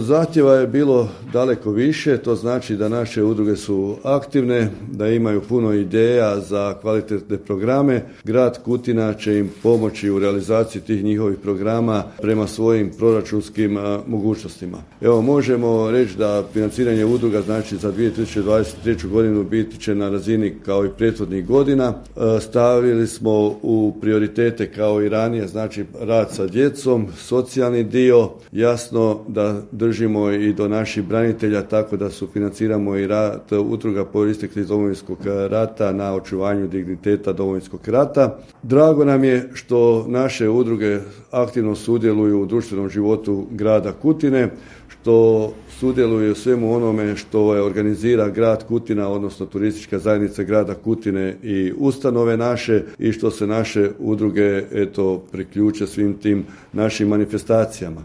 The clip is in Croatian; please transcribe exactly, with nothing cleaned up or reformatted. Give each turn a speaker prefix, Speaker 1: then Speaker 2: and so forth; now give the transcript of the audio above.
Speaker 1: Zahtjeva je bilo daleko više, to znači da naše udruge su aktivne, da imaju puno ideja za kvalitetne programe. Grad Kutina će im pomoći u realizaciji tih njihovih programa prema svojim proračunskim a, mogućnostima. Evo, možemo reći da financiranje udruga znači za dvije tisuće dvadeset treću godinu biti će na razini kao i prethodnih godina. E, stavili smo u prioritete kao i ranije, znači rad sa djecom, socijalni dio, jasno da držimo i do naših branitelja tako da sufinanciramo i rad udruga proisteklih iz Domovinskog rata na očuvanju digniteta Domovinskog rata. Drago nam je što naše udruge aktivno sudjeluju u društvenom životu grada Kutine, što sudjeluju u svemu onome što je organizira grad Kutina, odnosno turistička zajednica grada Kutine i ustanove naše, i što se naše udruge eto priključe svim tim našim manifestacijama.